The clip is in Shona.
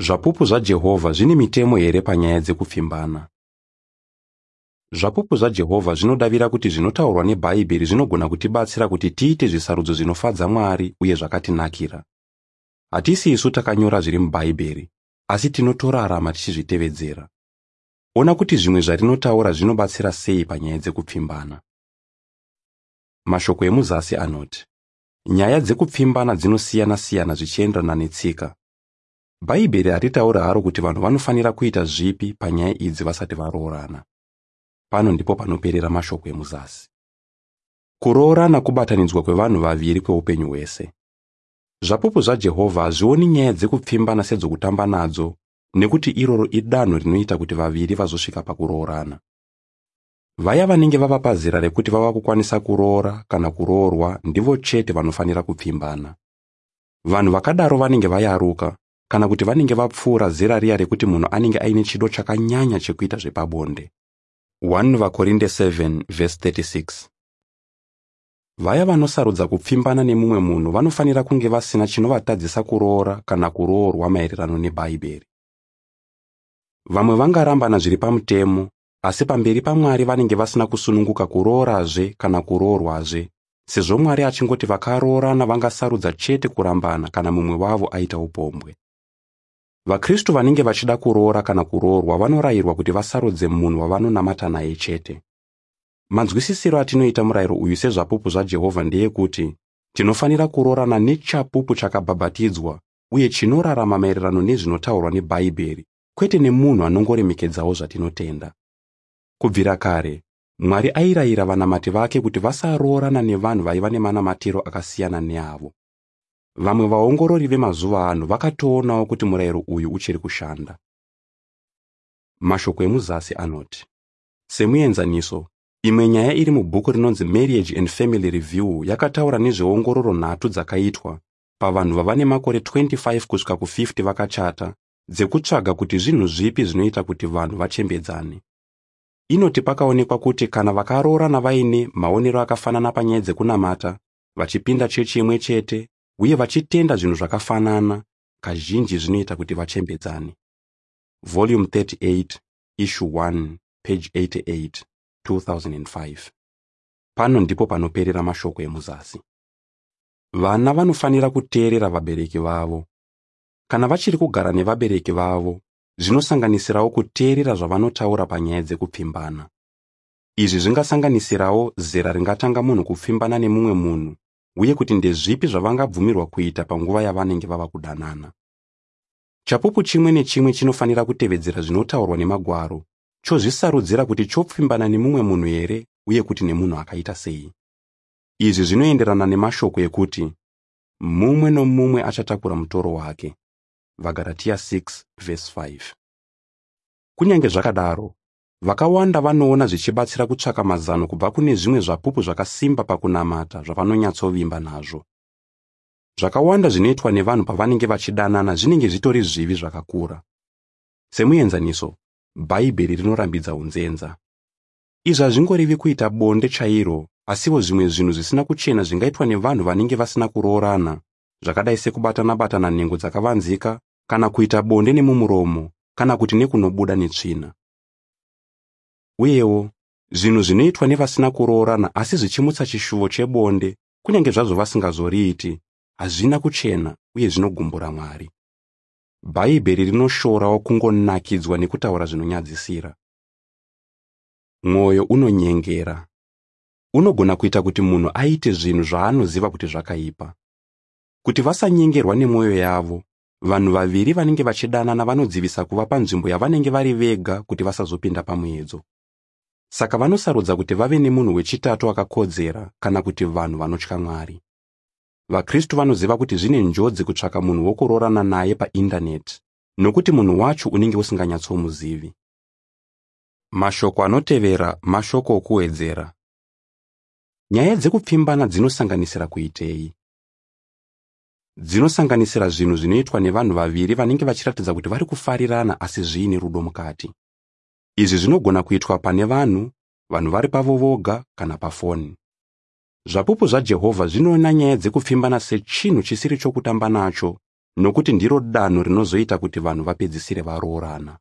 Zvapupu zvaJehovha zvine mitemo here panyaya dzekupfimbana? Zvapupu zvaJehovha zvinodavira kuti zvinotaurwa neBhaibheri zvinogona kutibatsira kuti tiite zvisarudzo zvinofadza Mwari uye zvakatinakira. Hatisi isu takanyora zviri muBhaibheri, asi tinotorarama tichizvitevedzera. Ona kuti zvimwe zvarinotaura zvinobatsira sei panyaya dzekupfimbana. Mashoko emuzasi anoti, nyaya dzekupfimbana dzinosiyana-siyana zvichienderana netsika. Bhaibheri haritauri haro kuti vanhu vanofanira kuita zvipi panyaya idzi vasati varoorana. Pano ndipo panoperera mashoko emuzasi. Kuroorana kubatanidzwa kwevanhu vaviri kweupenyu hwese. Zvapupu zvaJehovha hazvioni nyaya dzekupfimbana sedzokutamba nadzo, nekuti iroro idanho rinoita kuti vaviri vazosvika pakuroorana. Vaya vanenge vava pazera rekuti vava kukwanisa kuroora kana kuroorwa ndivo chete vanofanira kupfimbana. Vanhu vakadaro vanenge vayaruka kana kuti vanenge vapfuura zera riya rekuti munhu anenge aine chido chakanyanya chekuita zvepabonde. 1 VaKorinde 7:36. Vaya vanosarudza kupfimbana nemumwe munhu vanofanira kunge vasina chinovatadzisa kuroora kana kuroorwa maererano neBhaibheri. Vamwe vangarambana zviri pamutemo, asi pamberi paMwari vanenge vasina kusununguka kuroorazve kana kuroorwazve, sezvo Mwari achingoti vakaroorana vangasarudza chete kurambana kana mumwe wavo aita upombwe. VaKristu vanenge vachida kuroora kana kuroorwa vanorayirwa kuti vasarudze munhu wavanonamata naye chete. Manzwisisiro atinoita murayiro uyu seZvapupu zvaJehovha ndeyekuti tinofanira kuroorana nechapupu chakabhabhatidzwa uye chinorarama maererano nezvinotaurwa neBhaibheri, kwete nemunhu anongoremekedzawo zvatinotenda. Kubvira kare, Mwari airayira vanamati vake kuti vasaroorana nevanhu vaiva nemanamatiro akasiyana neavo. Vamwe vaongorori vemazuva ano vakatoonawo kuti murayiro uyu uchiri kushanda. Mashoko emuzasi anoti, semuenzaniso, imwe nyaya iri mubhuku rinonzi Marriage and Family Review yakataura nezveongororo 3 dzakaitwa pavanhu vava nemakore 25 kusvika ku50 vakachata, dzekutsvaga kuti zvinhu zvipi zvinoita kuti vanhu vachembedzane. Inoti pakaonekwa kuti kana vakaroorana vaine maonero akafanana panyaya dzekunamata, vachipinda chechi imwe chete uye vachitenda zvinhu zvakafanana, kazhinji zvinoita kuti vachembedzane. Volume 38, Issue 1, page 88, 2005. Pano ndipo panoperera mashoko emuzasi. Vana vanofanira kuteerera vabereki vavo. Kana vachiri kugara nevabereki vavo, zvinosanganisirawo kuteerera zvavanotaura panyaya dzekupfimbana. Izvi zvingasanganisirawo zera ringatanga munhu kupfimbana nemumwe munhu uye kuti ndezvipi zvavangabvumirwa kuita panguva yavanenge vava kudanana. Chapupu chimwe nechimwe chinofanira kutevedzera zvinotaurwa nemagwaro, chozvisarudzira kuti chopfimbana nemumwe munhu here uye kuti nemunhu akaita sei. Izvi zvinoenderana nemashoko ekuti mumwe nomumwe achatakura mutoro wake. VaGaratia 6:5. Kunyange zvakadaro, vakawanda vanoona zvichibatsira kutsvaka mazano kubva kune zvimwe zvapupu zvakasimba pakunamata zvavanonyatsovimba nazvo. Zvakawanda zvinoitwa nevanhu pavanenge vachidanana zvinenge zvitori zvivi zvakakura. Semuenzaniso, Bhaibheri rinorambidza unzenza. Izvi hazvingorevi kuita bonde chairo, asiwo zvimwe zvinhu zvisina kuchena zvingaitwa nevanhu vanenge vasina kuroorana, zvakadai sekubatana-batana nhengo dzakavanzika, kana kuita bonde nemumuromo, kana kuti nekunobuda netsvina. Uyewo, zvinhu zvinoitwa nevasina kuroorana asi zvichimutsa chishuvo chebonde, kunyange zvazvo vasingazoriiti, hazvina kuchena uye zvinogumbura Mwari. Bhaibheri rinoshorawo kungonakidzwa nekutaura zvinonyadzisira. Mwoyo unonyengera. Unogona kuita kuti munhu aite zvinhu zvaanoziva kuti zvakaipa. Kuti vasanyengerwa nemwoyo yavo, vanhu vaviri vanenge vachidanana vanodzivisa kuva panzvimbo yavanenge vari vega kuti vasazopinda pamuedzo. Saka vanosarudza kuti vave nemunhu wechitatu akakodzera kana kuti vanhu vanotya Mwari. VaKristu vanoziva kuti zvine njodzi kutsvaka munhu wokuroorana naye paindaneti, nokuti munhu wacho unenge usinganyatsomuzivi. Mashoko anotevera mashoko okuwedzera. Nyaya dzekupfimbana dzinosanganisira kuitei? Dzinosanganisira zvinhu zvinoitwa nevanhu vaviri vanenge vachiratidza kuti vari kufarirana asi zviine rudo mukati. Izvi zvinogona kuitwa pane vanhu, vanhu vari pavo voga kana pafoni. Zvapupu zvaJehovha zvinoona nyaya dzekupfimbana sechinhu chisiri chokutamba nacho, Nokuti ndiro danho rinozoita kuti vanhu vapedzisire varoorana.